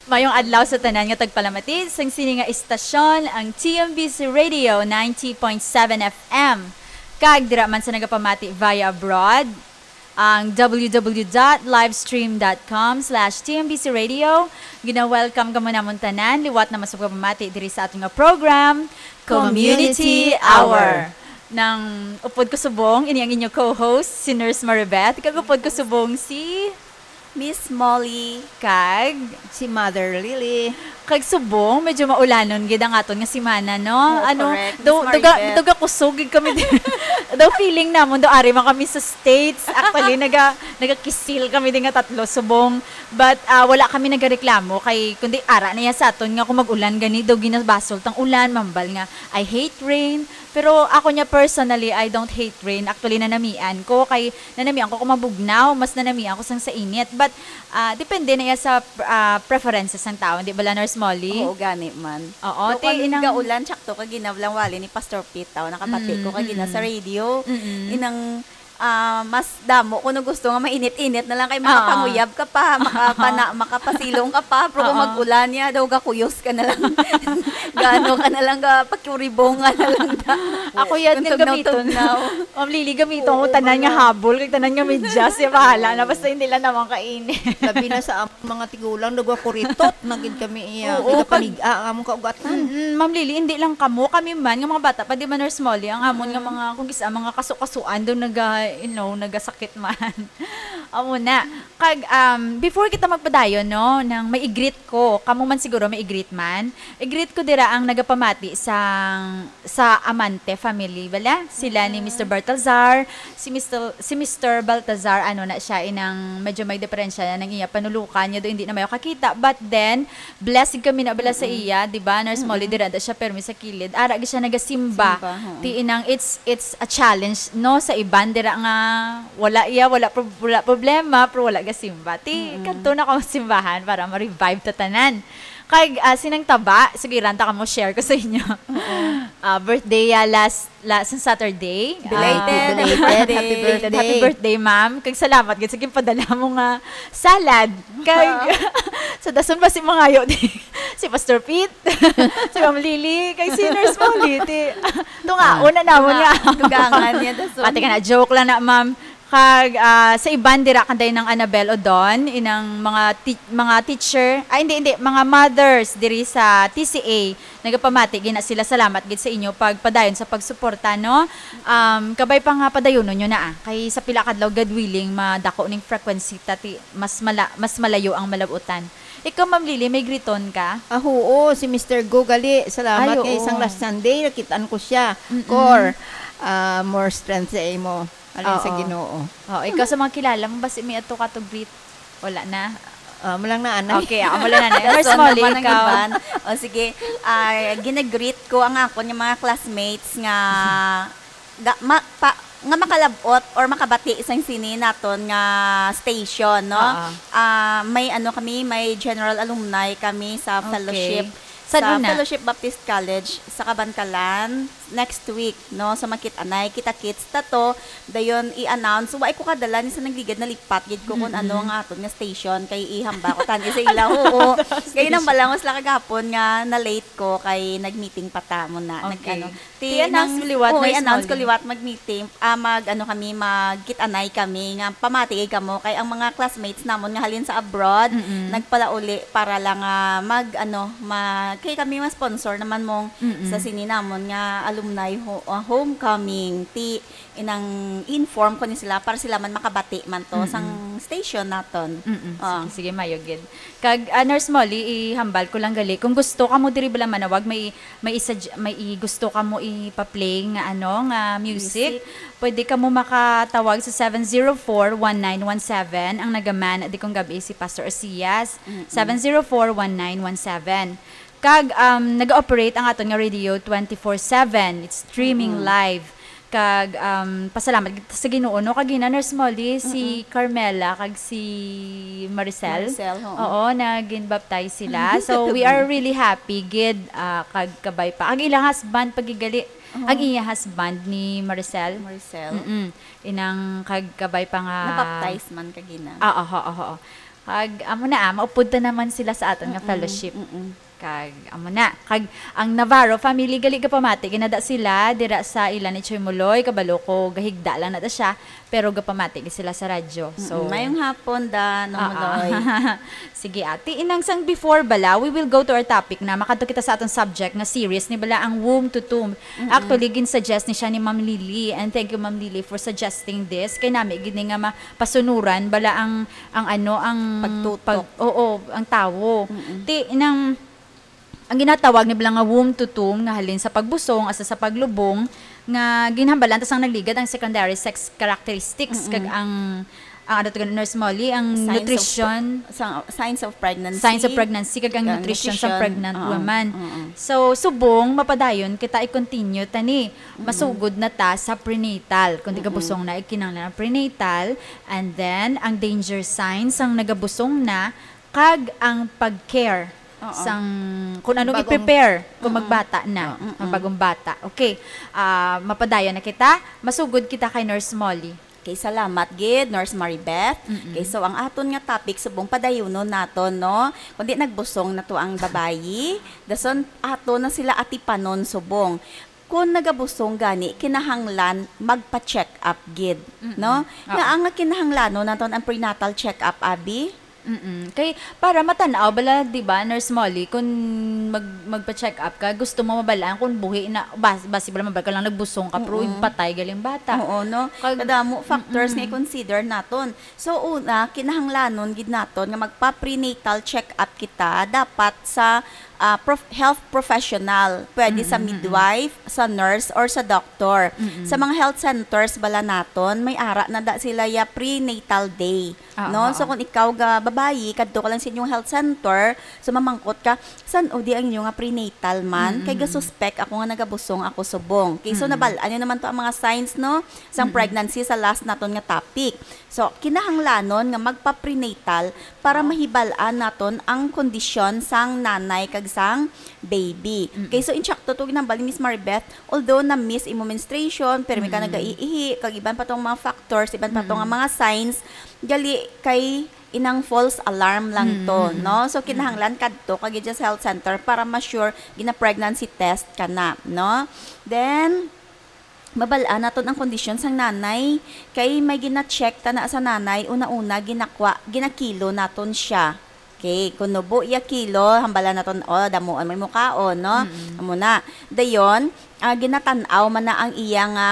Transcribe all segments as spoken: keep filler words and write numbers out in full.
Mayong adlaw sa tanan nga tagpalamati sang sini nga istasyon, ang T M B C Radio ninety point seven F M. Kag dira man sa nagapamati via abroad, ang w w w dot livestream dot com slash T M B C Radio. Gina-welcome kamo namon tanan, liwat na man sa pagpamati diri sa aton nga program, Community Hour. Nang upod ko subong, ini ang inyo co-host, si Nurse Maribeth. Kag upod ko subong si Miss Molly. Kag si Mother Lily. Kag subong, medyo maulanon gid ang aton nga semana, no? Oh, ano, correct, daw, Miss daw ga-, Maribeth. Daw gakusog gid kami din. Daw feeling namon, daw ari man kami sa States. Actually, naga, nagakisil kami din nga tatlo, subong. But, ah, wala kami nagareklamo kay, kundi ara na yan sa aton nga kung mag-ulan gani, daw ginabasol tang ulan, mambal nga, "I hate rain." Pero ako niya personally, I don't hate rain. Actually, nanamian ko kay nanamian ko kung mabugnaw, mas nanamian ko sang sa init. But, ah, depende na iya sa, ah, preferences sang tao, di ba, la, Nurse Molly? Oo, gani man. Oo, Pero ti kung inang gaulan, tsakto ka ginablang wali ni Pastor Pete, tao, nakabati ko Mm, kagina sa mm. radio. Mm-mm. Inang, ah, mas damo ko no gusto nga mainit-init na lang kay Oo. makapanguyab ka pa, makapana-, makapasilong ka pa, pero kung Oo. mag-ulan niya, daw gakuyos ka na lang. Gaano ka na lang, ga, pakiuribongan na lang ta. Ako yan Kung din gamiton. tugnaw-tugnaw. Ma'am Lily, gamiton ko Oo, tanan nga wala. habol, kay tanan nga medyas, ya, bahala na, Oo. basta hindi lang naman kainit. Labi na sa among mga tigulang, nagwakuritot na gid kami iya. Oo, Kaya pag panig-, ah, ang among kaugatan. Mm-mm, Ma'am Lily, hindi lang kamo, kami man, nga mga bata pa, di ba, Nurse Molly, ang amon nga Mm. mga, kung kisa, mga kaso-kasuan, daw naga, you know, nagasakit man. Amo na. Kag, um, before kita magpadayon, no, nang may i-greet ko, kamo man siguro may i-greet man. I-greet ko dira ang nagapamati sang, sa Amante family, bala? Sila ni Mm. Mister Baltazar, si Mister, si Mister Baltazar, ano na siya, inang medyo may diferensya na ng iya panulukan niya, do hindi na mayo kakita. But then, blessed kami na bala sa Mm-mm. iya, di ba? Nurse Molly, Mm-mm. dira da siya, permi sa kilid. Ara, gi siya nagasimba. Simba, oo. Ti inang, it's, it's a challenge, no? Sa iban, dira nga, wala iya, wala prob-, wala problema, pero wala gasimba. Ti, Mm-mm. kadto na ko simbahan para ma-revive ta tanan. Kag, ah, sinang taba, sige, ranta ka mo, share ko sa inyo. Oo. Ah, birthday ya last, last Saturday. Belated, Ah, happy belated, birthday. happy Belated, happy birthday. birthday, ma'am. Kag salamat gid sa ginpadala mo nga salad. Kag, sa dason ba si mangayo di? Si Pastor Pete, si Ma'am Lily, kay si Nurse Molly, ti. Tunga, Ah. una na mo Tunga, nga. tugangan niya, dason. Pati ka na, joke lang na, ma'am. Kag, ah, sa iban dira kanday nang Annabel Odon, inang mga ti-, mga teacher, ay, hindi, hindi, mga mothers diri sa T C A, nagapamati gina sila, salamat gid sa inyo pagpadayon sa pagsuporta, no? Um, kabay pa nga padayonon nyo na, ah. Kay sa pila kadlaw, God willing, madako ning frequency, tati, mas mala-, mas malayo ang malabutan. Ikaw, Ma'am Lily, may griton ka? Ah, oo, si Mister Go gali. Salamat Ay, kay oo. isang last Sunday, nakitaan ko siya. Mm-mm. Kor, ah, more strength sa imo. Alin sa Oo. Ginoo. Oh, ikaw sa mga kilala mo, basi may ato ka to greet. Wala na. Ah, mo lang na, anay. Okay, ako mo lang na, anay. Nurse Dason Molly, naman ang ikaw. iban. O, sige. Ah, ginagreet ko ang akon nga mga classmates nga ga-, ma-, pa-, nga makalabot or makabati sang sini naton nga station, no? Oo. Ah, may ano kami, may general alumni kami sa Okay. fellowship San sa una? Fellowship Baptist College sa Kabankalan next week, no? So, makit-anay, kita-kits ta to. Dayon, i-announce. Wa ko kadala ni sa nagligad, nalipat gid ko kung Mm-mm. ano nga aton nga station, kay ihamba ko tani sa ila. Oo. Station. Kay nang balangon sila kagapon nga na-late ko, kay nag-meeting pa ta mo na. Nag-, Okay. ano. Ti, I-announce nang, mo liwat, oo, Nurse i-announce ko Molly. liwat, mag-meeting, ah, mag, ano kami, magkit-anay kami, nga pamati kamo, kay ang mga classmates namon nga halin sa abroad, Mm-mm. nagpalauli para lang, ah, mag, ano, mag, kay kami ma-sponsor naman mong Mm-mm. sa sini namon nga alumni ho-, ah, homecoming. Ti, inang inform ko ni sila para sila man makabati man to Mm-mm. sang station naton. Mm-mm. Ah. Sige, sige, mayo gid. Kag, ah, Nurse Molly, ihambal ko lang gali. Kung gusto ka mo diri bala manawag, may, may isa j-, may i-, gusto ka mo ipa-play nga ano, nga music, Music. pwede ka mo makatawag sa seven zero four, one nine one seven. Ang nagaman di kong gabi si Pastor Osias. Mm-mm. Seven zero four, one nine one seven. Kag, um, nag-ooperate ang aton nga radio twenty-four seven. It's streaming Mm-mm. live. Kag, um, pasalamat gid sa Ginoo, no? Kag gina, Nurse Molly, si Mm-mm. Carmela, kag si Maricel. Maricel, oo. Oo, nagin-baptize sila. So, we are really happy gid, ah, kag kabay pa. Ang ilang husband, pagigali, Oo. ang iya husband ni Maricel. Maricel. Mm-mm. Inang kag kabay pa nga Na-baptize man kagina. Ah, aha, aha, aha. Kag amo na, ah, maupod ta naman sila sa aton nga Mm-mm, fellowship. Mm-mm. Kag amo na. Kag ang Navarro family, gali, gapamati gid na da sila dira sa ila ni Choy Muloy. Kabalo ko, gahigda lang na da siya, pero gapamati gid sila sa radyo. So, mm-mm. Mayong hapon, da, Nong Muloy. Sige, ate. Inang, sang before bala, we will go to our topic na. Makadto kita sa aton subject nga series ni bala, ang Womb to Tomb. Mm-mm. Actually, gin-suggest ni siya ni Ma'am Lily. And thank you, Ma'am Lily, for suggesting this. Kay nami gid ni nga ma-, pasunuran bala ang, ang ano, ang pagtutok. Pag-, oo, ang tawo. Mm-mm. Ti, nang, ang ginatawag ni bala nga womb to tomb nga halin sa pagbusong, asa sa paglubong, nga ginhambalan ta sang nagligad ang secondary sex characteristics, mm-mm, kag ang, ang ano to, Nurse Molly, ang signs of nutrition, pre-, sa-, signs of pregnancy. Signs of pregnancy, kag ang nutrition sang pregnant woman. Oo. So, subong mapadayon kita, i-continue ta ni. Mm-mm. Masugod na ta sa prenatal. Kung di ka busong na, ikinanglan ang prenatal. And then, ang danger signs sang nagabusong na, kag ang pag-care sang kung anong i-prepare kung magbata na, ang bagong bata. Okay. Ah, mapadayon na kita. Masugod kita kay Nurse Molly. Okay, salamat gid, Nurse Maribeth. Mm-mm. Okay, so ang aton nga topic subong padayunon naton, no? Kundi nagbusong na to ang babayi, dason aton na sila atipanon subong. Kung nagabusong gani, kinahanglan magpa-check up gid, no? Mm-mm. Oo. Nga ang kinahanglanon naton ang prenatal check up, abi? Mm-mm. Kay para matan-aw bala, di ba, Nurse Molly, kung mag-, magpa-check up ka, gusto mo mabalaan kung buhi na, bas-, basi bala mabal ka lang nagbusong ka, pero patay galing bata. Oo, no? Kag-, kadamo factors nga i-consider naton. So, una, kinahanglanon gid naton nga magpa-prenatal check-up kita dapat sa, ah, prof-, health professional. Pwede sa midwife, sa nurse, or sa doctor. Mm-mm. Sa mga health centers bala naton, may ara na da sila ya prenatal day. Oo, no? So, oo, kung ikaw ga babayi, kadto ka lang sa inyong health center, so mamangkot ka, "San-o di ang inyo nga prenatal man? Kay gasuspek ako nga nagabusong ako subong." Okay, so nabal-an niyo naman to ang mga signs, no? Sang pregnancy sa last naton nga topic. So, kinahanglanon nga magpa-prenatal para mahibal-an naton ang kondisyon sang nanay kag sang baby. Mm-mm. Okay, so insakto to ginhambal ni Miss Maribeth, although na-miss imo menstruation, pero may ka nagaiihi, kag iban pa tong mga factors, iban pa tong mga signs, gali kay inang false alarm lang to, no? So, kinahanglan kadto ka gid sa health center para ma-sure gina-pregnancy test ka na, no? Then, mabal-an naton ang kondisyon sang nanay, kay may gina-check ta na sa nanay, una-una, ginakwa-, ginakilo naton siya. Okay, kung nubo iya kilo, hambalan naton, oh, damuan mo imo kaon, no? Mm-mm. Amo na. Dayon, ah, ginatan-aw man na ang iya nga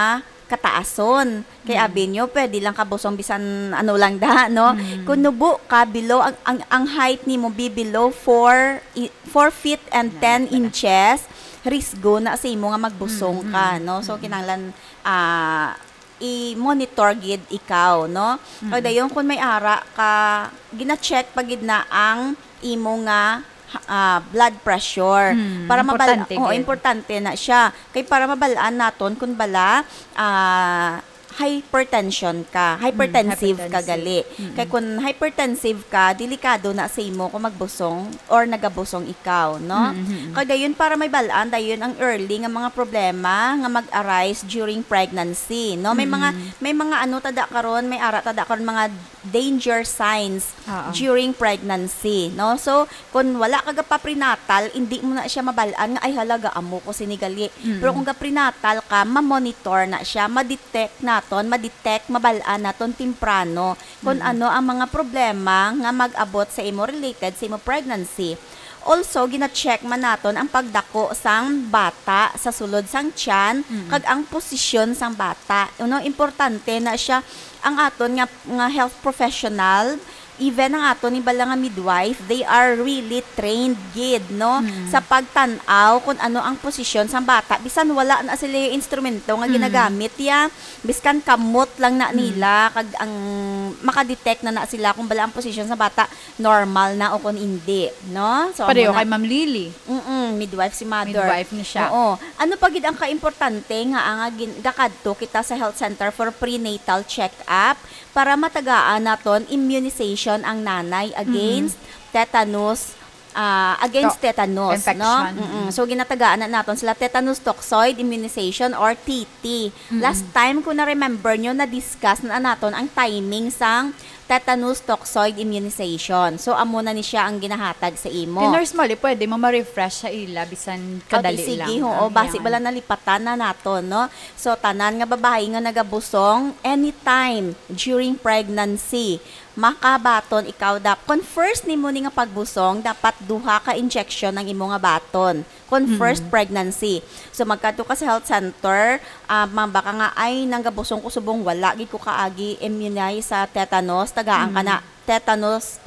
kataason. Kay abi niyo, pwede lang kabusong bisan ano lang da, no? Mm. Kung nubo ka, below, ang, ang, ang height nimo be below four i-, four feet and ten inches, risgo na sa imo nga magbusong ka, no? So, kinahanglan, ah, i-monitor gid ikaw, no? Kag dayon, kung may ara ka, gina-check pa gid na ang imo nga, ah, blood pressure. Mm, para mabal-, importante oo, gid, importante na siya. Kay para mabal-an naton kung bala, ah, hypertension ka, hypertensive ka gali. Mm, hypertensive. Mm-mm. Kay kung hypertensive ka, delikado na sa imo kung magbusong or nagabusong ikaw, no? Mm-hmm. Kag dayon para may bal-an, dayon ang early nga mga problema nga mag-arise during pregnancy, no? May mga, mm-hmm, may mga ano tada karon, may ara tada karon mga danger signs, oo, during pregnancy, no? So, kung wala ka gapa-prenatal, hindi mo na siya mabal-an nga, "Ay, hala, gaamo ko sini gali." Mm. Pero kung ga-prenatal ka, ma-monitor na siya, ma-detect naton, ma-detect, mabal-an naton temprano kung, mm-mm, ano ang mga problema nga mag-abot sa imo related sa imo pregnancy. Also, gina-check man naton ang pagdako sang bata sa sulod sang tiyan, mm, kag ang posisyon sang bata. Ano, importante na siya ang aton nga, nga health professional, even ang aton ni bala nga midwife, they are really trained gid, no? Mm. Sa pagtan-aw kung ano ang posisyon sang bata. Bisan wala na sila yung instrumento nga, mm, ginagamit ya, biskan kamot lang na, mm, nila, kag ang makadetect na na sila kung bala ang posisyon sa bata normal na o kung hindi, no? So, pareho amo na kay Ma'am Lily. Mm-mm, midwife si mother. Midwife ni siya. Oo. Ano pa gid ang kaimportante nga ang gin-, gakadto kita sa health center for prenatal check-up para matagaan naton immunization ang nanay against, mm-mm, tetanus, ah, against To-, tetanus, no? infection. Mm-mm. Mm-mm. So, ginatagaan na naton sila tetanus toxoid immunization or T T. Mm-mm. Last time, kung na-remember nyo, na-discuss na naton ang timing sang tetanus toxoid immunization. So, amo na ni siya ang ginahatag sa imo. Kay Nurse Molly, pwede mo ma-refresh sa ila, bisan kadali lang. Okay, sige, oo, ang basi iyang bala nalipatan na naton, no? So, tanan nga babayi nga nagabusong, anytime during pregnancy, makabaton ikaw dap-, kon first nimo ni nga pagbusong, dapat duha ka injection ang imo nga baton. Kon first Mm. pregnancy. So, magkadto ka sa health center, ah, mabaka nga, "Ay, nanggabusong ko subong wala gid ko kaagi immunize sa tetanus," tagaan ka Mm. na tetanus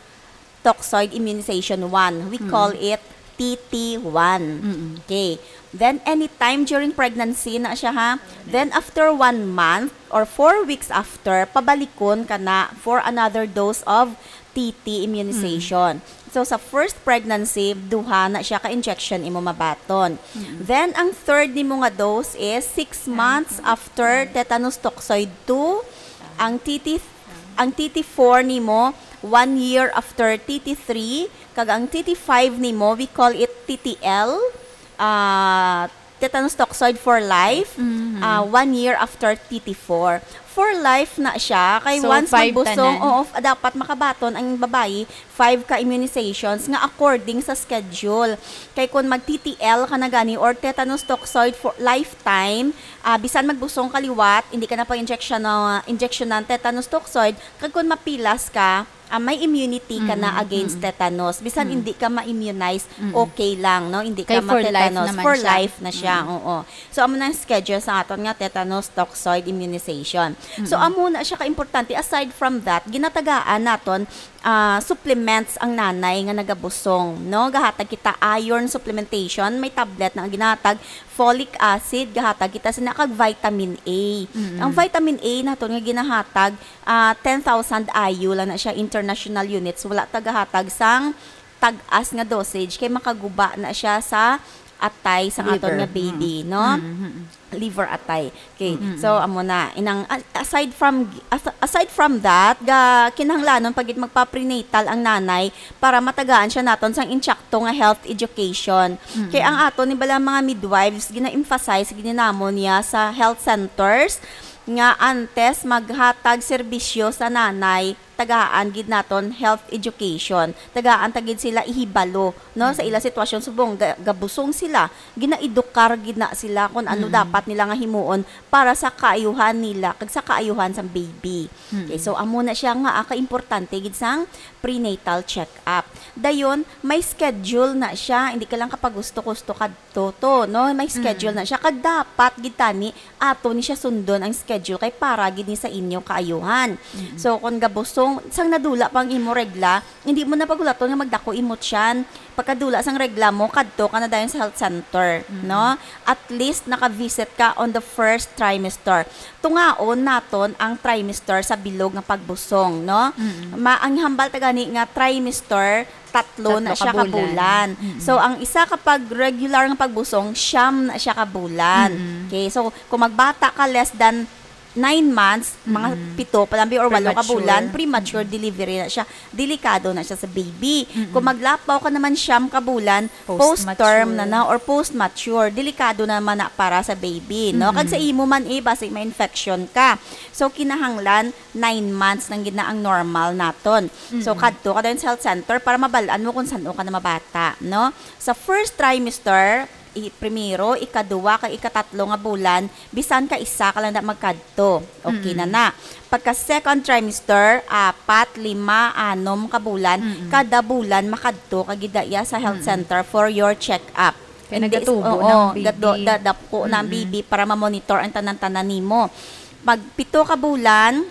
toxoid immunization one. We Mm. call it T T one. Mm. Okay. Then, anytime during pregnancy na siya, ha? Then, after one month or four weeks after, pabalikon ka na for another dose of T T immunization. Mm. So, sa first pregnancy, duha na siya ka injection imo mabaton. Mm. Then, ang third nimo nga dose is six months after tetanus toxoid two, ang T T, ang T T four nimo, one year after T T three, kag ang T T five nimo, we call it T T L, ah, tetanus toxoid for life, Mhm. ah, one year after T T four. For life na siya, kay So, once five magbusong, tanan. oo, f-, dapat makabaton ang babayi, five ka immunizations nga according sa schedule. Kay kung mag-T T L ka na gani or tetanus toxoid for lifetime, ah, bisan magbusong ka liwat, hindi ka na pag-injection na, injection ng tetanus toxoid, kag kung mapilas ka, ah, may immunity ka na Mm, against mm. tetanus. Bisan Mm. hindi ka ma-immunize, Mm. okay lang, no? Hindi Kay ka for life ma-tetanus. naman For siya. life na siya, Mm. oo. So, amo na ang schedule sa aton nga tetanus toxoid immunization. So, Mm. amo na siya ka-importante. Aside from that, ginatagaan naton, ah, supplements ang nanay nga nagabusong, no? Gahatag kita iron supplementation, may tablet na ang ginahatag, folic acid, gahatag kita sina kag vitamin A. Mm. Ang vitamin A naton nga ginahatag, ah, ten thousand I U lang na siya, international units. Wala ta gahatag sang tag-as nga dosage kay makaguba na siya sa atay sa aton Liver. nga baby, Mm. no? Mm, mm, mm. Liver atay. Okay. Mm, mm. So, amo na. Inang, a-, aside from, as-, aside from that, ga, kinahanglanon pa gid magpa-prenatal ang nanay para matagaan siya naton sang insakto nga health education. Mm, Kay ang mm. aton ni bala mga midwives, gina-emphasize gid namon niya sa health centers nga antes maghatag serbisyo sa nanay, tagaan gid naton health education. Tagaan ta gid sila ihibalo, no, sa Mm. ila sitwasyon. Subong ga-, gabusong sila, ginaedukar gid na sila kung ano Mm. dapat nila nga himuon para sa kaayuhan nila kag sa kaayuhan sang baby. Mm. Okay, so amo na siya nga, ah, kaimportante gid sang prenatal check-up. Dayon, may schedule na siya, hindi ka lang kapagusto-gusto kadto, no? May schedule Mm. na siya. Kag dapat gid tani ato ni siya sundon ang schedule kay para gid ni sa inyo kaayuhan. Mm. So, kung gabusong, sang nadula pa ang imo regla, hindi mo na pagulaton nga magdako imo tiyan. Pagkadula sang regla mo, kadto ka na dayon sa health center, Mm. no? At least naka-visit ka on the first trimester. Tungaon naton ang trimester sa bilog nga pagbusong, no? Mm. Ma-, ang hambal ta gani nga trimester, tatlo na Tatlo siya ka ka bulan. bulan. Mm. So, ang isa ka pag regular nga pagbusong, siyam na siya ka bulan. Mm. Okay, so kung magbata ka less than nine months, mga Mm. pito pa lang or walo ka Premature. bulan, premature Mm. delivery na siya. Delikado na siya sa baby. Mm. Kung maglapaw ka naman siyam ka bulan, Post-mature. post-term na na or post-mature. Delikado naman na para sa baby, no? Kag sa Mm. imo man, eh, basi may infection ka. So, kinahanglan nine months nang gid na ang normal naton. So, Mm. kadto ka dayon sa health center para mabal-an mo kung san-o ka na mabata, no? Sa first trimester, i-, primero, ikaduwa, kag ikatatlo nga bulan, bisan ka isa ka lang na magkadto. Okay na Mm. na. Pagka second trimester, apat, lima, anom ka bulan, Mm-mm. kada bulan makadto ka gid daya sa health Mm-mm. center for your check-up. Kaya Hindi, nagatubo oo, na ang baby. gado-, dadapko na ang Mm-mm. baby para ma-monitor ang tanan-tanan nimo. Pag pito ka bulan,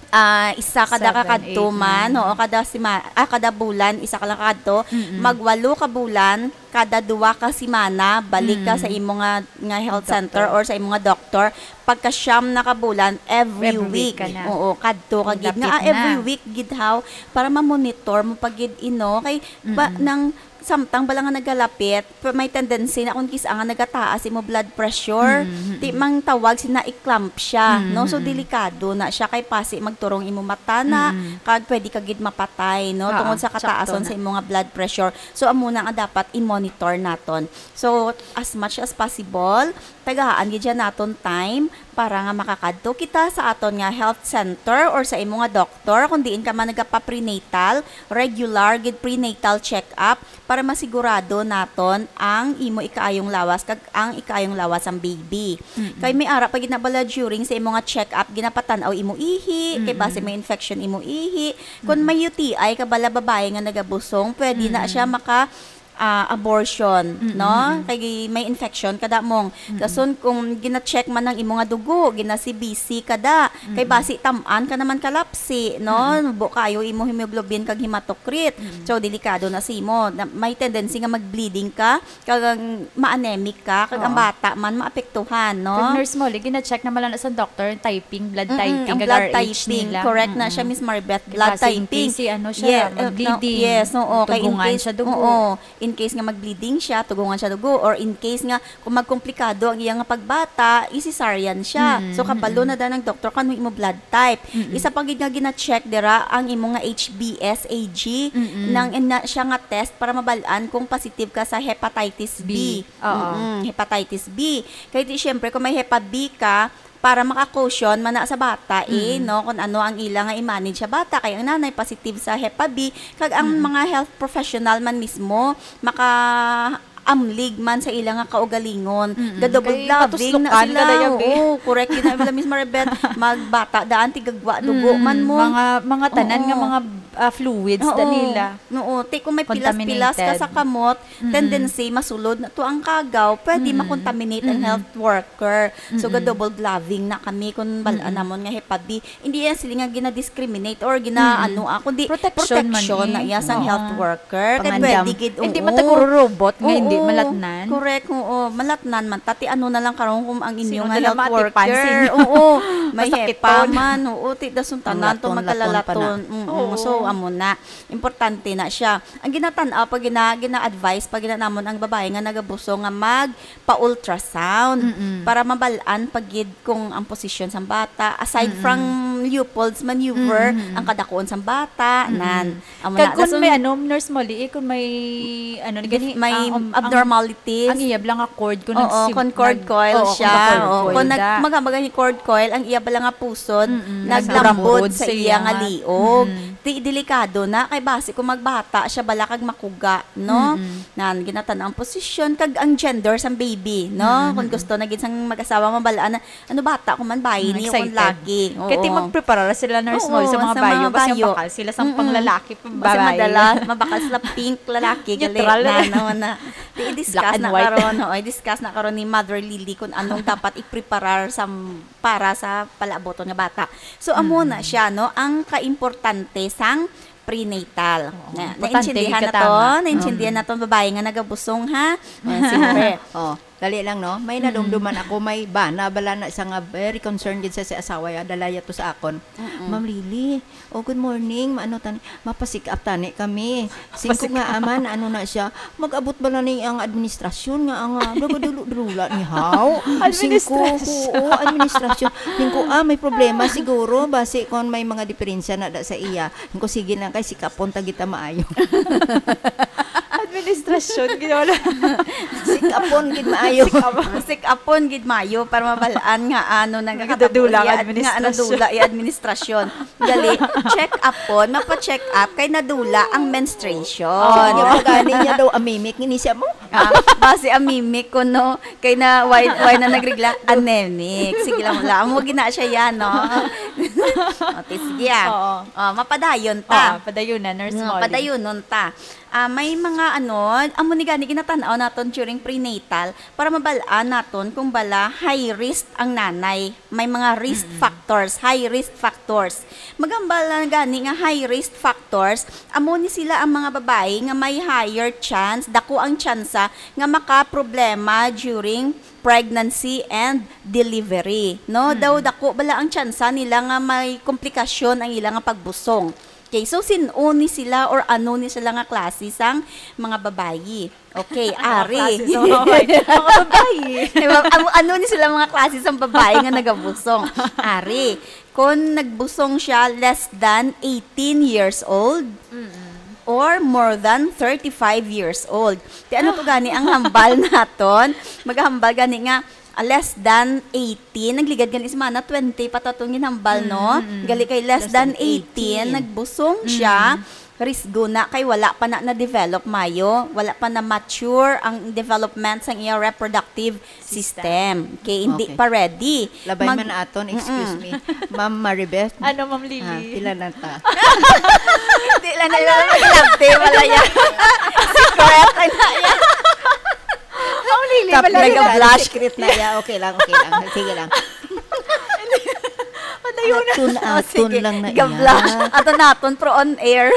ah, isa kada Seven, kakadto eight, man, nine. oo, kada sima-, ah, kada bulan, isa ka lang kakadto. Mm-mm. Magwalo ka bulan, kada duwa ka semana, balik ka Mm. sa imo nga, nga health center Doctor. or sa imo nga doktor. Pagka siyam na ka bulan, every Every week week. ka na. Oo, kadto ka gid. Magdapit Nga, ah, every na. week gid, haw, para ma-monitor mo pa gid, ino. Kay, ba, Mm-mm. nang samtang bala nga nagalapit, pa-, may tendency na kung kis-a nga nagataas imo blood pressure, Mm, mm, ti mm. mang tawag sina eclampsia, Mm, no? So, mm, mm. delikado na siya kay pasi magturong imo mata na, Mm, mm. kag pwede ka gid mapatay, no? Oo, Tungod sa sakto kataason na. sa imo nga blood pressure. So, amo na nga dapat i-monitor naton. So, as much as possible, tagaan gid siya naton time para nga makakadto kita sa aton nga health center or sa imo nga doktor kung diin ka man nagapa-prenatal, regular gid prenatal check-up para masigurado naton ang imo ikaayong lawas kag ang ikaayong lawas sang baby. Mm-mm. Kay may ara pa gid na bala during sa imo nga check-up, ginapatan-aw imo ihi, kay basi Mm-mm. may infection imo ihi. Kung Mm-mm. may U T I ka bala babae nga nagabusong, pwede na Mm-mm. siya maka, ah, abortion, Mm-mm, no? mm-mm. Kay may infection kada mong. Mm-mm. Dason kung gina-check man ang imo nga dugo, gina-C B C kada, kay Mm-mm. basi tam-an ka naman kalapsi, no? Mm-mm. Buo kayo imo hemoglobin kag hematocrit. Mm-mm. So, delikado na sa imo. Na, may tendency nga mag-bleeding ka, kag ang ma-anemic ka, kag ang Oo. bata man maapektuhan, no? Kag Nurse Molly, gina-check naman lang sa doctor, typing, blood Mm-mm, typing, ang kag blood R H typing, nila. correct na siya, Mm-mm. Miss Maribeth, Kay blood kasi in typing. case, si ano siya, Yeah, uh, no, mag-bleeding, yes, oo, kay in tugungan case, siya dugo. oo, in case nga mag-bleeding siya, tugungan siya dugo, or in case nga kung magkomplikado ang iya nga pagbata, i-cesarean siya. Mm, So, kabalo mm. na dan ang doktor kung ano imo blood type. Mm-mm. Isa pa gid nga gina-check dira ang imo nga H B S A G, Mm-mm. nang ina siya nga test para mabal-an kung positive ka sa hepatitis B. B. Oo. Mm-mm, hepatitis B. Kay di, syempre, kung may hepa B ka, para maka-caution man na sa bata, eh, Mm. no, kung ano ang ila nga i-manage sa bata. Kay ang nanay positive sa hepa B, kag ang Mm. mga health professional man mismo, maka-amlig man sa ila nga kaugalingon. Mm-mm. Ga-double Kay gloving na matuslokan sila. ka, Dayabi. Oo, correct yun. Ang Miss Maribeth, magbata daan, tigagwa, dugo Mm, man mo. mga, mga tanan nga Oo. mga, ah, fluids Oo. da nila. Oo, ti kung may pilas-pilas ka sa Contaminated. kamot, Mm-mm. tendency masulod na to ang kagaw, pwede Mm-mm. ma-contaminate ang Mm-mm. health worker. So, Mm-mm. ga-double gloving na kami kung bal-an Mm-mm. namon nga hepa B. Hindi yan sila nga gina-discriminate or gina-, Mm-mm. ano, ah, kundi Protection man protection na eh. iya sang Oo. health worker. Kay Pangandam. pwede gid, Hindi oo. man taguro robot nga hindi Oo. malatnan. Correct, oo. Malatnan man. Tati ano na lang karon kung ang inyo Sino nga na lang health matipan, worker. sino? Oo. May Masakiton. hepa man. Oo, ti dason tanan to Laton-laton pa na. magkalalaton. Mm-mm. Oo. So, amo na. Importante na siya. Ang ginatan-aw pag gina-, gina-advise pag gina-, namon ang babae nga nagabusong nga magpa-ultrasound Mm-mm. para mabal-an pag gid kung ang posisyon sang bata, aside Mm-mm. from Leopold's maneuver, Mm-mm. ang kadakuon sang bata, Mm-mm. nan. Amo Kag na. kung Dason, may ano, Nurse Molly, eh, kung may, ano, dif-, gani, may ah, um, ang, abnormality. ang iyab lang nga cord, kung Oo, nagsim-, kung cord nag-, coil oo, kung siya, naka-cord oo, coil kung nag-, da. maga-, maga ni cord coil, ang iyab lang nga pusod, Mm-mm. naglambod Nagburamburod sa sa iya iya nga nga. liog. Mm-mm. Di, delikado na, kay basi kung magbata siya, bala kag makuga, no? Mm-mm. Nan, ginatan ang posisyon, kag ang gender sang baby, no? Mm-mm. Kung gusto na gid sang mag-asawa, mabalaan na, ano, bata ko man, bayi Mm, ni, kung excited. lagi. Kaya ti Oo. magpreparar sila, Nurse Oo, Molly, sa mga sa mga bayo. Basta bayo. bakal sila sa Mm-mm. panglalaki, Basta babae. madala, mabakal sila pink, lalaki, gali. Neutral. Na, no, na. Di, i-discuss Black and na white. karon, oo, i-discuss na karon ni Mother Lily kung anong dapat ipreparar sa, para sa palaaboton nga bata. So, amo na Mm. siya, no? Ang kaimportante sang prenatal. Oo, Na, importante naintindihan gid na ka to? tama. Naintindihan Mm. na to, babae nga nagabusong, ha? Oh, sige. Oh, dali lang, no? May Mm. nadumduman ako, may bana, bala na siya nga very concerned gid sa, sa asawa, ya, dala ya to sa akon. Mm-mm. "Ma'am Lily, oh, good morning, maano tani, mapasick up tani kami." Singko Mapasick nga up. aman, ano na siya, "Mag-abot bala ni ang administrasyon nga ang, ah, dulo-dulo ni haw?" Singko, Administrasyon. "Oo, administrasyon." Singko, "Ah, may problema siguro, basi kung may mga diferensya na da sa iya." Ko, "Sige lang, kay sikapon ta kita maayo." Administrasyon, gid wala. Sikapon gid maayo. Sikapon. Sikapon gid maayo para mabalaan nga ano, nga Nagdadula ang katapos, administrasyon. nga ano, dula ang administrasyon. Gali, check up po, mapa-check up kay nadula ang menstruation. Oh, Ano? Niya pa gani niya daw amimik, ini siya mo. Ah, basi amimik ko, no? Kay na, why, why na nagregla? Anemic. Sige lang, wala. Amo gina siya yan, no? O, ti, sige, ah. Oo. O, mapadayon ta. Oo, padayon na, Nurse Mm, Molly. padayunon ta. Ah, may mga ano, amo ni gani ginatan-aw naton during prenatal para mabal-an naton kung bala high risk ang nanay. May mga risk Mm-mm. factors, high risk factors. Magambal na gani nga high risk factors, amo ni sila ang mga babae nga may higher chance, dako ang tsansa nga makaproblema during pregnancy and delivery, no? Mm-mm. Daw dako bala ang tsansa nila nga may komplikasyon ang ila nga pagbusong. Okay, so sin-o ni sila or ano ni sila nga klase sang mga babayi? Okay, Mga ari. klase sa mga babayi. Mga babayi. Diba? Ano, ano ni sila mga klase sang babayi nga nagabusong? Ari, kung nagbusong siya less than eighteen years old Mm-mm. or more than thirty-five years old. Ti ano to gani ang hambal naton? Maghambal gani nga ah, less than eighteen, nagligad gani si Mana, twenty pa to atong ginhambal, no? Mm, mm, mm. Gali kay less Less than than eighteen, eighteen. Nagbusong siya, Mm. risgo na kay wala pa na na-develop mayo, wala pa na mature ang development sang iya reproductive System. system. Okay, hindi Okay. pa ready. Labay Mag- man aton, excuse Mm-mm. me. Ma'am Maribeth? Ano, Ma'am Lily? Ah, pila na ta? Hindi lang na Ano? yun. Love team, wala yan. Secret, ano yan? Ang Lily, Kap-, wala yan. Nag-blush. Secret na iya. Okay lang, okay lang. Sige lang. Padayon na. Atun, Ah, atun sige. lang na Ga-blush. iya. Ato naton, pro on air.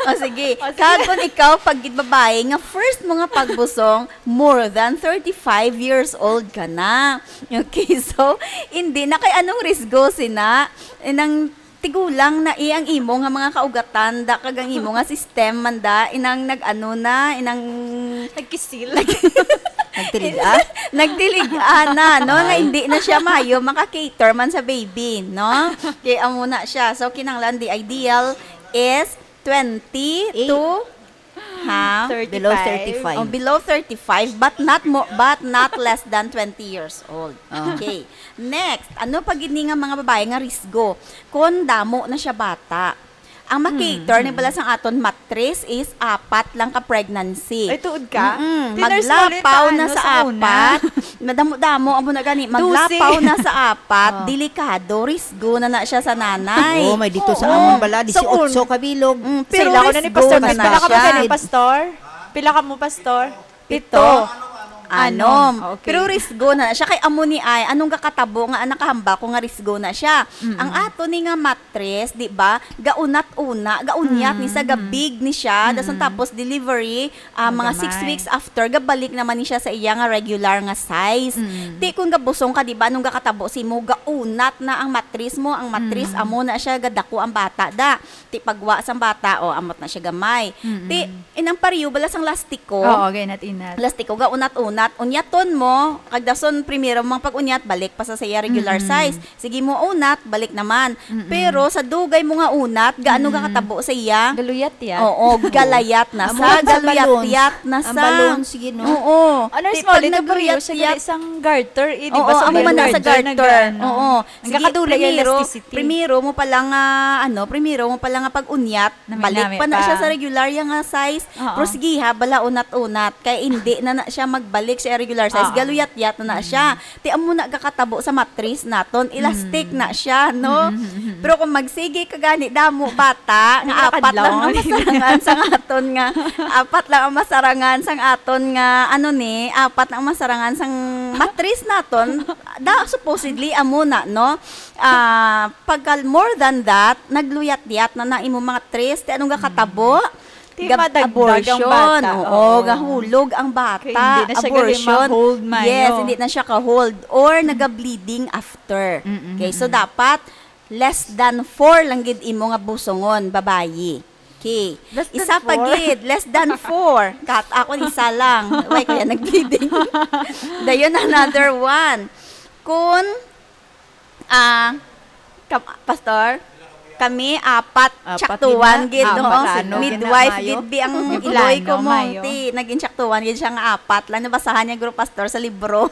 O, sige. O, sige. Kag kung ikaw, pag babae, nga first mo nga pagbusong, more than thirty-five years old ka na. Okay, so, hindi na kay anong risgo sina, inang tigulang na eh, ang imo nga mga kaugatan, da, kag ang imo nga system, man da, inang nag-ano na, inang Nagkisil. Nagtiliga? Nagtiliga na, no? Nga Ay. hindi na siya mayo maka-cater man sa baby, no? Kay amo na siya. So, kinahanglan, the ideal is twenty Eight. to, ha? Below Thirty-five. thirty-five. Oh, below thirty-five, but not mo, but not less than twenty years old. Oh. Okay. Next, ano pa gid ni nga mga babae nga risgo? Kon damo na siya bata. Ang Mm, makater ni mm. bala sang aton matris is apat lang ka pregnancy. Ay, tuod ka? Mm-mm. Ti, Nurse Molly, Maglapaw taan, na no, sa sa una? apat. Madamo-damo, amo na gani. Maglapaw Dosi. na sa apat, Oh. delikado, risgo na na siya sa nanay. Oo, may dito sa Oo. amon bala, Sa un- disiotso ka bilog. Mm, pero Sila ko na ni risgo Pastor. na Pila na ka mo siya. gani, Pastor? Pila ka mo, Pastor? Pito. Pito. Anom. Anom. Okay. Pero risgo na siya. Kay amo ni ay, anong gakatabo nga nakahambal ko nga risgo na siya? Mm-mm. Ang ato ni nga matris, di ba? Gaunat-una, gaunyat ni sa Mm-mm. gabig ni siya. Dason Mm-mm. tapos delivery, ah, mga six Magamay. weeks after, gabalik naman ni siya sa iya nga regular nga size. Mm. Ti kung gabusong ka, di ba? Anong gakatabo si mo? Gaunat na ang matris mo. Ang matris, Mm. amo na siya, gadako ang bata, da. Ti pagwa sang bata, o, amot na siya gamay. Mm-mm. Ti, inang pariyo bala sang lastiko. Oo, gainat-inat. Lastiko, gaunat-unat. Unyaton mo, kag dason primero mo ang pag-unyat, balik pa sa, sa iya regular Mm-mm. size. Sige mo unat, balik naman. Mm-mm. Pero sa dugay mo nga unat, gaano Mm-mm. ka katabo sa iya? Galuyat-yat. Oo, galayat na Amo sa, sa balloons. Galuyatyat na Ang sa. balloon, sige, no? Oo. Ano, Ti, small, pag ito pariyo siya, nagluyat-yat, gali sang garter, eh, di Oo, ba? Sa amo man na sa garter, garter. nag-ano. Oo. Ang Sige, kakadula yung primero, elasticity. primero mo pala nga, ano, primero mo pala nga pag-unyat, Nami-nami balik pa na pa. siya sa regular ya nga size. Oo. Pero sige ha, bala unat-unat. Kay hindi na na siya magbalik sa regular size. Oo. Galuyat-yat na na siya. Mm. Ti amo na gakatabo sa matris naton, elastic Mm. na siya, no? Mm, mm, mm, mm. Pero kung magsige ka gani, damo bata, nga Hindi apat lang kadlaw. ang masarangan sa aton nga, apat lang ang masarangan sa aton nga, ano ni, apat lang ang masarangan sang matris naton, da, supposedly, amo na, no? Ah, pagka more than that, nagluyat-yat na na imo matris, ti anong gakatabo? Mm. Ti Gab-, madagdag ang abortion. bata, Oo, oo. gahulog ang bata. Kay hindi na siya gali Abortion. ma-hold, mayo. Yes, hindi na siya ka-hold. Or naga-bleeding after. Mm, mm, Okay, so mm. dapat less than four lang gid imo nga busongon, babayi. Okay. Less than Isa pa four? gid, less than four. Kat, ako isa lang. Why kaya nag-bleeding? Dayon, another one. Kun Ah, kam-, Pastor, kami apat, Apat tsaktuan gid na, gid, no? apat, ano, Midwife gid na, gid bi ang mayo. iloy ko Ano, mo, mayo. ti, naging tsaktuan gid siya nga apat lang. Nabasahan niya, guro, Pastor, sa libro.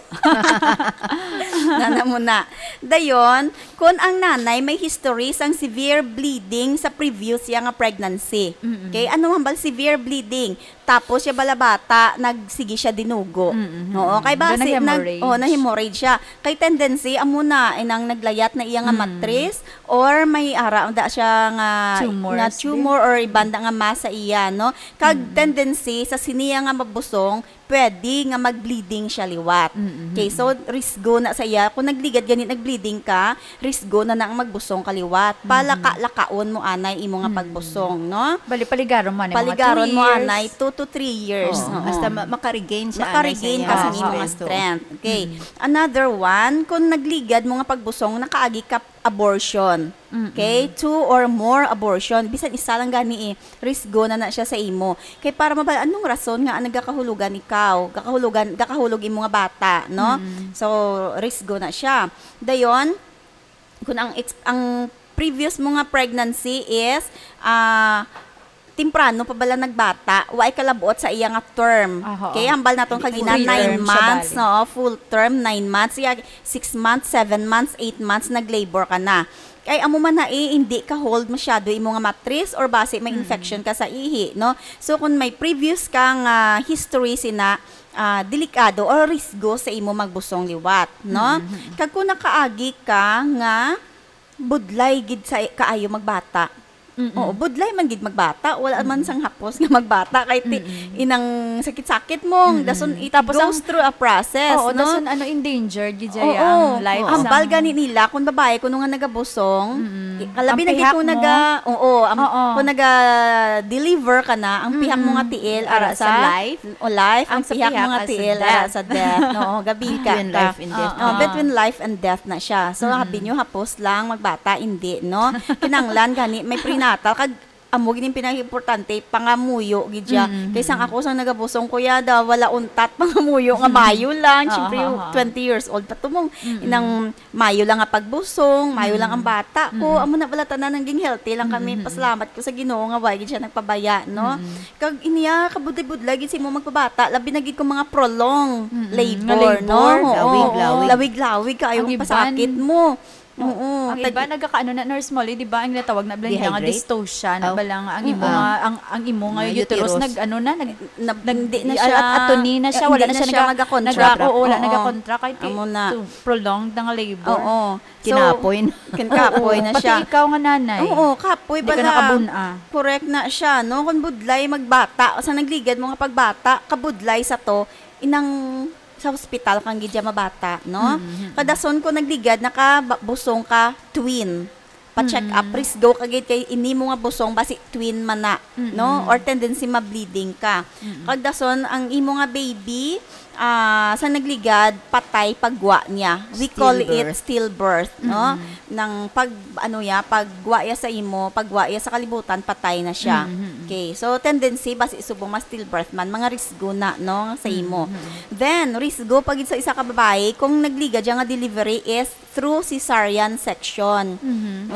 Nana mo na. Dayon, kung ang nanay may history sang severe bleeding sa previous siya nga pregnancy. Mm-mm. Okay? Ano hambal severe bleeding? Tapos siya bala bata, nagsigi siya dinugo. Mm, mm, Oo, mm. kay Doon basi, nag-, nag-hemorrhage. oh, na-hemorrhage siya. Kay tendency, amo na, inang naglayat na iya nga Mm. matris, or may ara, da siya nga, Tumors nga din. tumor or iban da nga mass sa iya, no? Kag Mm. tendency, sa siniya nga mabusong, pwede nga mag-bleeding siya liwat. Mm, mm, Okay, so, mm. risgo na sa iya. Kung nagligad gani, nag-bleeding ka, risgo na na ang magbusong ka liwat. Mhm. Palaka-lakaon mo anay imo nga Mm. pagbusong, no? Bali, paligaron mo anay mga Paligaron two mo years. anay two to three years. Oo. Oo. Hasta ma-, maka-regain siya, Maka-regain anay sa ka sa iyang imong strength. strength. Okay. Another one, kung nagligad mo nga pagbusong, nakaagi ka abortion. Okay? Two or more abortion. Bisan isa lang gani eh, risgo na na siya sa imo. Kay para mabal-an anong rason nga nagakahulugan ikaw, gakahulugan, gakahulog imo nga bata, no? So, risgo na siya. Dayon, kung ang ex-, ang previous mo nga pregnancy is ah temprano pa bala nagbata, wa ay kalabot sa iya nga term. Aha. Okay, hambal naton kagina Full nine term siya months, bali. No, full term, nine months, iya six months, seven months, eight months nag-labor ka na. Kay amo man na eh, hindi ka hold masyado imo nga matris or basi may infection ka sa ihi, no? So kung may previous ka nga history sina ah, delikado or risgo sa imo magbusong liwat, no? Kag kung nakaagi ka nga budlay gid sa kaayo magbata. Oo, budlay man gid magbata, wala man sang hapos nga magbata kay ti-, inang sakit-sakit mo, dason it Tapos goes ang through a process, Oo, no? Dason ano, endangered gid siya Oo. ang life. Hambal sang- gani nila kung babae kuno nga nagbusong, i- kalabi Ang na gid pihak kung mo. naga, oo, ang, Oo. kung naga-deliver ka na, ang pihak mo nga tiil ara Ara sa sa life. O life, ang, Ang sa pihak mo pihak nga as a tiil death. Ara sa death. Oo, gabi ka. Between life and death. Oh, between life and death na siya. So, habi nyo hapos lang magbata, hindi, no? Kinanglan gani may prenatal kag amo gid ang pinakaimportante, pangamuyo gid siya. Kay sang ako sang nagabusong ko ya, da wala untat pangamuyo nga mayo lang. Oo, Siyempre, oo, oo. twenty years old pa tumong inang mayo lang nga pagbusong, mayo lang ang bata ko. Amo na bala tanan naging healthy lang kami. Pasalamat ko sa Ginoo nga wa gid siya nagpabaya, no? Kag iniya kabudlay-budlay gid si mo magpabata, labi na gid kung mga prolong labor, Nga labor, no? Oo. Lawig-lawig. Lawig-lawig kaayo Ang ang iban, pasakit mo. Oo. Ang Tag- iba nagakaano na, Nurse Molly, di ba, ang ginatawag na bala nila nga Dehydrate? dystocia, na Oh. bala nga ang imo Ah. nga, ang, ang imo nga Nga uterus, uterus. nag ano na, nag, Nab- nag- hindi na i- siya, atuni na siya, hindi wala na na siya siya naga-, magakontra. naga-, oo, wala Oo. nagakontra kay ti-, Amo na. to, prolonged na nga labor. Oo. So, Kinapoy na. Kinapoy Oo, na pati siya. ikaw nga nanay. Oo, kapoy Hindi ka bala. Nakabun-a. Correct na siya, no? Kung budlay magbata, o sa nagligad mo nga pagbata, kabudlay sa to, inang sa hospital kang gidya mabata, no? Kadason ko nagligad, nakabusong ka, twin. Pa-check up, risgo ka gid kay ini mo nga busong, basi twin man na, no? Or tendency ma-bleeding ka. Kag dason, ang imo nga baby, ah, sa nagligad, patay pagwa niya. We call it Stillbirth. Stillbirth, no? Nang pag, ano ya, pagwa ya sa imo, pagwa ya sa kalibutan, patay na siya. Okay, so tendency, basi subong ma-stillbirth man, mga risgo na, no, sa imo. Then, risgo pa gid sa isa ka babae, kung nagligad siya nga delivery is through cesarean section.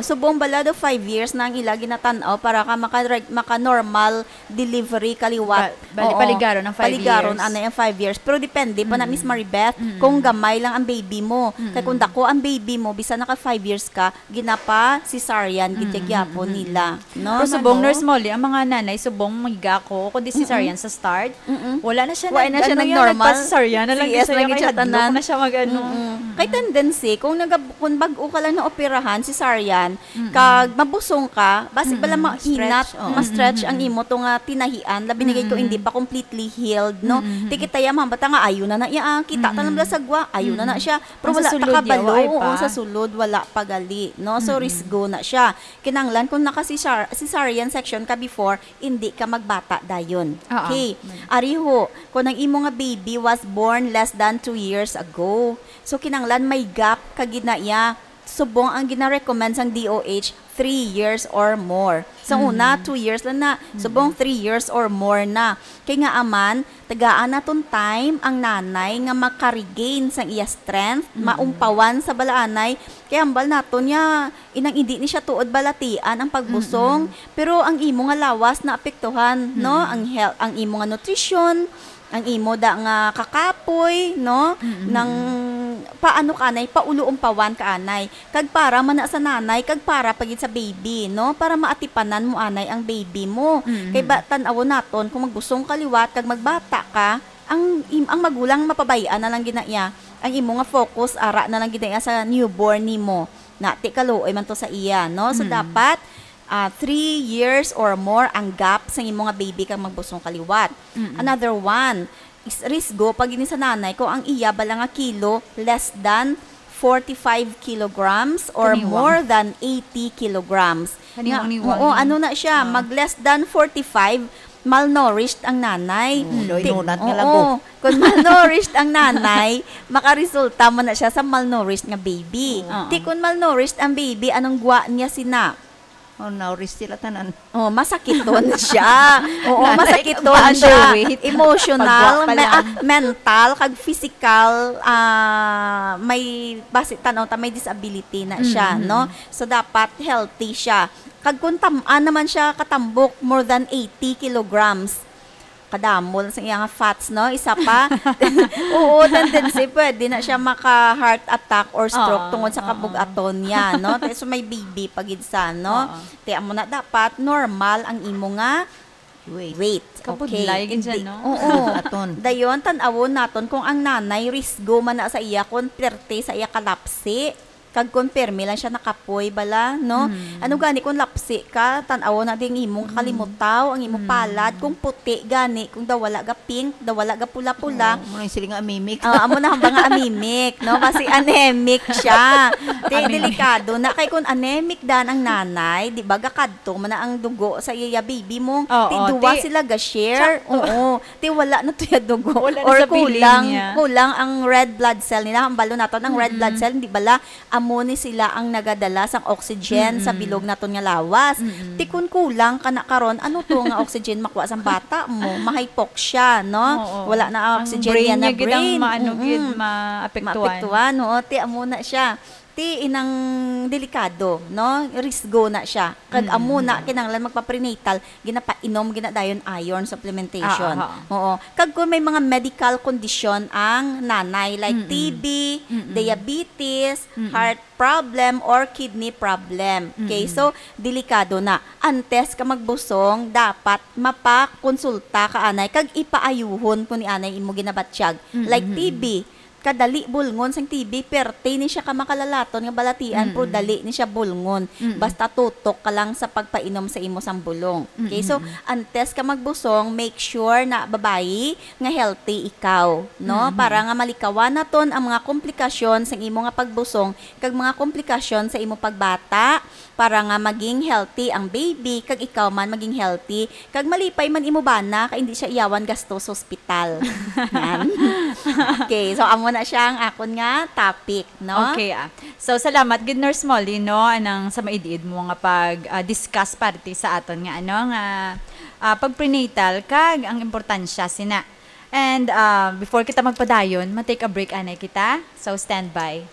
Subong bala do five years na ang ila ginatan-aw para ka maka, maka-normal delivery kaliwat. Ba-, bali, Oo. paligaron ang five Paligaron years. Ana yung five years. Pero depende po na, Miss Maribeth, kung gamay lang ang baby mo. Kay kung dako ang baby mo, bisan naka five years ka, ginapa cesarean gid gyapon nila, no? Pero subong, Ano? Nurse Molly, ang mga nanay, subong miga ko, kundi cesarean sa start, wala na siya, Wala nag-, na siya ano, yan, nag-normal. nagpa-cesarean na lang C S siya, lang gid siya kay hadlok tanan. na siya mag-ano. Mm-mm. Kay tendency, kung, nagab- kung bag-o ka lang naoperahan, cesarean, kag mabusong ka, basi bala mahinat, Stretch, oo. ma-stretch ang imo to nga tinahian, labi na gid kung hindi pa completely healed, no? Ti kita ya, mga bata nga, ayo na na iya, ah, kita ta lang bala sa gwa, ayo na na siya. Pero Ang sa wala ta sulod ya, kabalo, waay oo, pa. Sa sulod, wala pa gali, no? So, risgo na siya. Kinanglan, kung naka-cesar-, cesarean section ka before, hindi ka magbata dayon. Oo. Okay. Ariho, kung ang imo nga baby was born less than two years ago, so kinanglan may gap ka gid na iya. Subong ang gina-recommend sang D O H, three years or more. Sa una, two years lang na. Subong three years or more na. Kay nga aman, tagaan naton time ang nanay nga maka-regain sang iya strength, maumpawan sa balaanay. Kay hambal naton niya, inang hindi ni siya tuod balatian ang pagbusong, pero ang imo nga lawas naapektuhan, no? Ang health, ang imo nga nutrisyon, ang imo da nga kakapoy, no? Nang paano ka anay, paulo-umpawan ka anay. Kag para man na sa nanay, kag para pa gid sa baby, no? Para maatipanan mo anay ang baby mo. Kay ba, tan-awon naton, kung magbusong ka liwat, kag magbata ka, ang, im-, ang magulang mapabay-an na lang gid na iya. Ang imo nga focus, ara na lang gid na iya sa newborn nimo. Na, ti kaluoy man to sa iya, no? So, dapat, ah, three years or more ang gap sa imo nga baby kang magbusong ka liwat. Another one, is risgo pa gini sa nanay kung ang iya bala nga kilo less than forty-five kilograms or Kaniwang. More than eighty kilograms. Nga, Kaniwang-niwang oo, ni. Ano na siya, mag less than forty-five, malnourished ang nanay. Oo, daw Ti-, inunat nga oo, lago. Kung malnourished ang nanay, makaresulta man na siya sa malnourished nga baby. Oo. Ti kung malnourished ang baby, anong gwa niya sina? Oh, now, sila tanan. Oh, masakiton siya. Oo, Nanay, masakiton siya. Emotional, pagwa pa me-, ah, lang. Mental, kag physical, ah, may basi tanaw ta may disability na siya, Mm-hmm. no? So, dapat healthy siya. Kag kung tam-an naman siya katambok, more than eighty kilograms. Kadamo lang sa iya nga fats, no? Isa pa. Oo, tendency, pwede na siya maka-heart attack or stroke Oo, tungod sa oo. Kabug-aton niya, no? Te-, so may baby pa gid sa, no? Oo. Te, amo na dapat normal ang imo nga Wait. Weight. Kabudlay Okay. gid siya, Hindi- no? Oo. Aton. Dayon, tan-awon naton kung ang nanay risgo man na sa iya, kung perte sa iya kalapsi. Kag kung permi lang siya nakapoy bala, no? Mm. Ano gani kung lapsi ka, tan-aw na ding imong Mm. kalimutaw, ang imong Mm. palad, kung puti gani, kung daw wala ga pink, daw wala ga pula-pula. Oo, murag sila nga amimik. Ah, amo na hamba nga amimik, no? Kasi anemic siya. Te, Anemic. Delikado na. Kay kung anemic dan ang nanay, di ba, gakadto man na ang dugo sa iya baby mo. Oo, Ti duwa ti-, sila ga-share. Siya, oo. Ti wala na to ya dugo. Wala na Or sa bilin kulang, niya. Kulang ang red blood cell nila. Hambalo naton ang red Mm-mm. blood cell, di bala, amo ni sila ang nagadala sang oxygen sa Mm-mm. bilog naton nga lawas. Mm-mm. Ti kun kulang kana karon, ano to nga oxygen makuha sang bata mo? Ma-hypoxia, no? Oo. Wala na ang Ang oxygen brain niya na niya gid ang brain. maano Mm-mm. gid, maapektuhan. Maapektuhan, oo. Ti amo na siya. Ti inang delikado, no? Risgo na siya. Kag Mm-mm. amo na kinahanglan magpa-prenatal, ginapainom gina dayon iron supplementation. Ah, ah, ah. Oo. Kag kung may mga medical condition ang nanay, like Mm-mm. T B, Mm-mm. diabetes, Mm-mm. heart problem, or kidney problem. Okay, Mm-mm. so, delikado na. Antes ka magbusong, dapat mapakonsulta ka anay, kag ipaayuhon ko ni anay imo ginabatyag. Mm-mm. Like T B, kadali bulngon sang T B, perte ni siya ka makalalaton nga balatian, pero Mm-mm. dali ni siya bulngon. Mm-mm. Basta tutok ka lang sa pagpainom sa imo sang bulong. Okay, so, Mm-mm. antes ka magbusong, make sure na babayi nga healthy ikaw, no? Mm-hmm. Para nga malikawan naton ang mga komplikasyon sang imo nga pagbusong kag mga komplikasyon sa imo pagbata, para nga maging healthy ang baby kag ikaw man maging healthy, kag malipay man imo bana kay hindi siya iyawan gasto sa ospital. Yan. Okay, so amo na siya ang akon nga topic, no? Okay, ah. So, salamat gid, Nurse Molly, no, anang sa maid-id mo nga pag, ah, discuss parte sa aton nga, ano, nga, ah, pag-prenatal kag ang importansya sina. And, ah, before kita magpadayon, ma-take a break anay kita. So, stand by.